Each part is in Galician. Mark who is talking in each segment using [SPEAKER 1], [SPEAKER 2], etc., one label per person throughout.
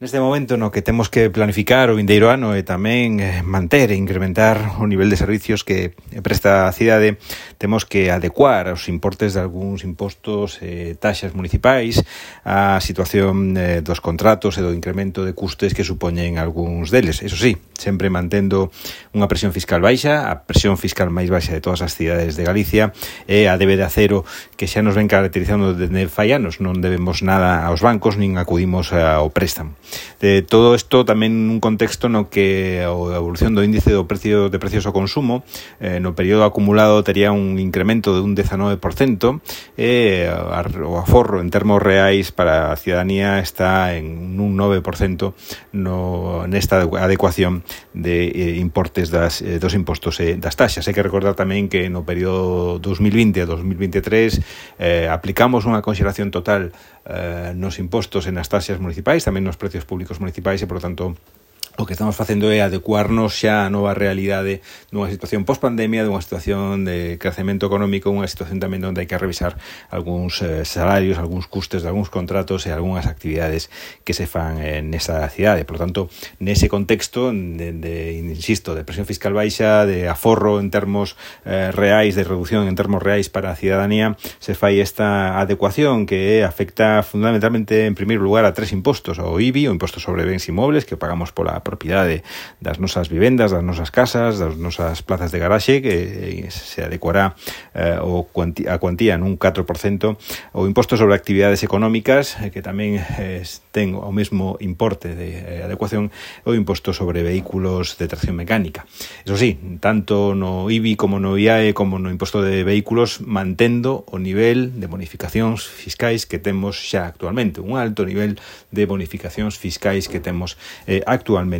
[SPEAKER 1] Neste momento no que temos que planificar o vindeiro ano e tamén manter e incrementar o nivel de servicios que presta a cidade, temos que adecuar os importes de algúns impostos e taxas municipais á situación dos contratos e do incremento de custes que supoñen algúns deles. Eso sí, sempre mantendo unha presión fiscal baixa, a presión fiscal máis baixa de todas as cidades de Galicia e a débeda cero que xa nos ven caracterizando desde fai anos. Non debemos nada aos bancos nin acudimos ao préstamo. De todo isto tamén un contexto no que a evolución do índice do precio de precios ao consumo no período acumulado tería un incremento de un 19% e o aforro en termos reais para a ciudadanía está en un 9% nesta adecuación de importes dos impostos e das taxas. Hai que recordar tamén que no período 2020 a 2023 aplicamos unha conxelación total nos impostos e nas taxas municipais, tamén nos precios públicos municipais e, por lo tanto, o que estamos facendo é adecuarnos xa a nova realidade dunha situación post-pandemia, dunha situación de crecemento económico, unha situación tamén onde hai que revisar algúns salarios, algúns custes de algúns contratos e algúnas actividades que se fan nesa cidade. Por lo tanto, nese contexto insisto, de presión fiscal baixa, de aforro en termos reais, de reducción en termos reais para a ciudadanía, se fai esta adecuación que afecta fundamentalmente, en primeiro lugar, a 3 impostos: o IBI, o imposto sobre bens inmobles, que pagamos pola propiedade das nosas vivendas, das nosas casas, das nosas plazas de garaxe, que se adecuará a cuantía nun 4%, o imposto sobre actividades económicas, que tamén ten o mesmo importe de adecuación, o imposto sobre vehículos de tracción mecánica. Eso sí, tanto no IBI como no IAE como no imposto de vehículos, mantendo o nivel de bonificacións fiscais que temos xa actualmente, un alto nivel de bonificacións fiscais que temos actualmente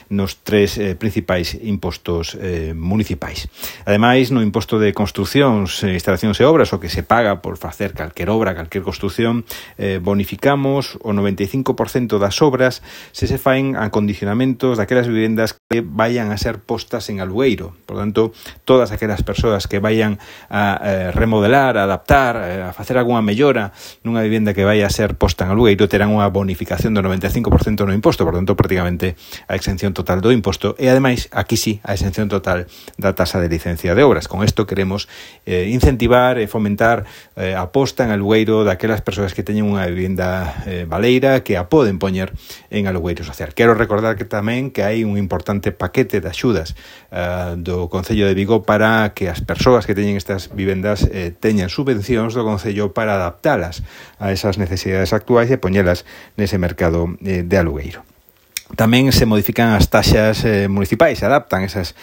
[SPEAKER 1] nos 3 principais impostos municipais. Ademais, no imposto de construcións, instalacións e obras, o que se paga por facer calquer obra, calquer construción, bonificamos o 95% das obras se faen a condicionamentos daquelas vivendas que vayan a ser postas en alugueiro. Por tanto, todas aquelas persoas que vayan a remodelar, a adaptar, a facer algunha mellora nunha vivenda que vai a ser posta en alugueiro terán unha bonificación do 95% no imposto. Por tanto, prácticamente a exención total do imposto e, ademais, aquí sí, a exención total da tasa de licencia de obras. Con isto queremos incentivar e fomentar a posta en alugueiro daquelas persoas que teñen unha vivenda baleira que a poden poñer en alugueiro social. Quero recordar que tamén que hai un importante paquete de axudas do Concello de Vigo para que as persoas que teñen estas vivendas teñan subvencións do Concello para adaptalas a esas necesidades actuais e poñelas nese mercado de alugueiro. Tamén se modifican as taxas municipais, se adaptan esas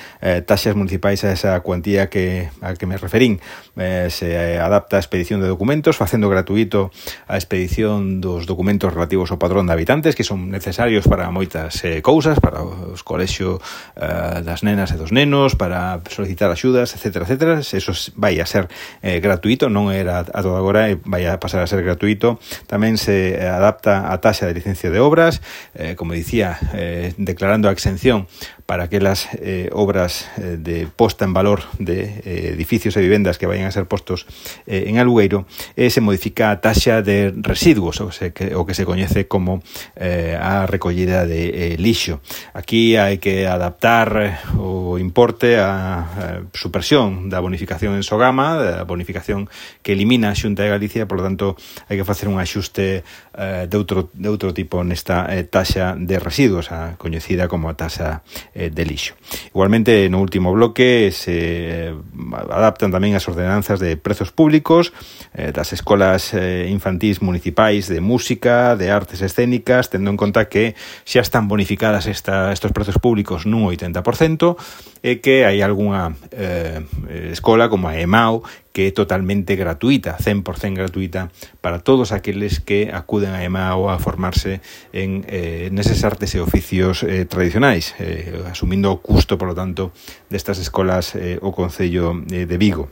[SPEAKER 1] taxas municipais a esa cuantía a que me referín. Se adapta a expedición de documentos, facendo gratuito a expedición dos documentos relativos ao padrón de habitantes, que son necesarios para moitas cousas, para os colexios das nenas e dos nenos, para solicitar axudas, etcétera, etcétera. Eso vai a ser gratuito, non era a todo agora, e vai a pasar a ser gratuito. Tamén se adapta a taxa de licencia de obras, como dicía, declarando a exención para aquelas obras de posta en valor de edificios e vivendas que vayan a ser postos en alugueiro, e se modifica a taxa de residuos, o que se coñece como a recollida de lixo. Aquí hai que adaptar o importe á supresión da bonificación en Sogama, da bonificación que elimina a Xunta de Galicia. Por lo tanto, hai que facer un axuste de outro tipo nesta taxa de residuos, a coñecida como a taxa de lixo. Igualmente, no último bloque se adaptan tamén as ordenanzas de prezos públicos das escolas infantís municipais de música, de artes escénicas, tendo en conta que xa están bonificadas estos prezos públicos nun 80% e que hai algunha escola como a EMAO que é totalmente gratuita, 100% gratuita para todos aqueles que acuden a EMAO a formarse en neses artes e oficios tradicionais, asumindo o custo, por lo tanto, destas escolas o Concello de Vigo.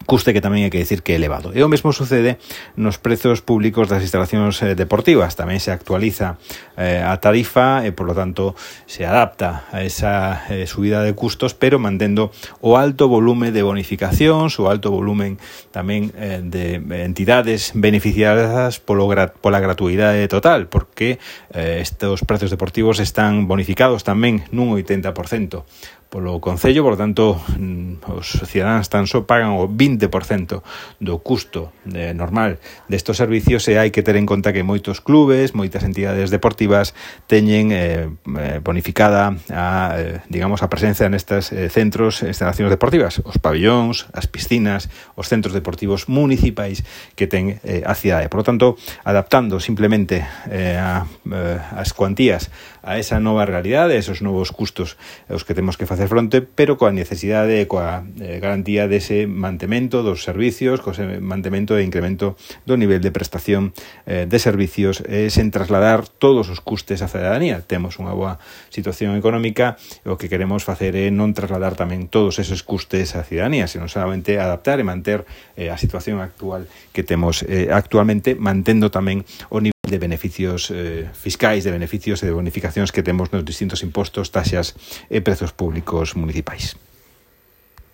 [SPEAKER 1] custe que tamén hai que dicir que é elevado. E o mesmo sucede nos prezos públicos das instalacións deportivas. Tamén se actualiza a tarifa e, por lo tanto, se adapta a esa subida de custos, pero mantendo o alto volume de bonificacións, o alto volumen tamén de entidades beneficiadas pola gratuidade total, porque estes prezos deportivos están bonificados tamén nun 80% polo Concello, por lo tanto, os cidadáns tan só pagan o 20% do custo normal destes servicios, e hai que ter en conta que moitos clubes, moitas entidades deportivas teñen bonificada a presencia nestes centros e instalacións deportivas, os pabellóns, as piscinas, os centros deportivos municipais que ten a cidade. Por lo tanto, adaptando simplemente as cuantías a esa nova realidade, esos novos custos aos que temos que facer fronte, pero coa necesidade e coa garantía dese mantemento dos servicios, co mantemento e incremento do nivel de prestación de servicios, sen trasladar todos os custes á cidadanía. Temos unha boa situación económica e o que queremos facer é non trasladar tamén todos esos custes á cidadanía, senón solamente adaptar e manter a situación actual que temos actualmente, mantendo tamén o nivel de beneficios fiscais, de beneficios e de bonificacións que temos nos distintos impostos, taxas e prezos públicos municipais.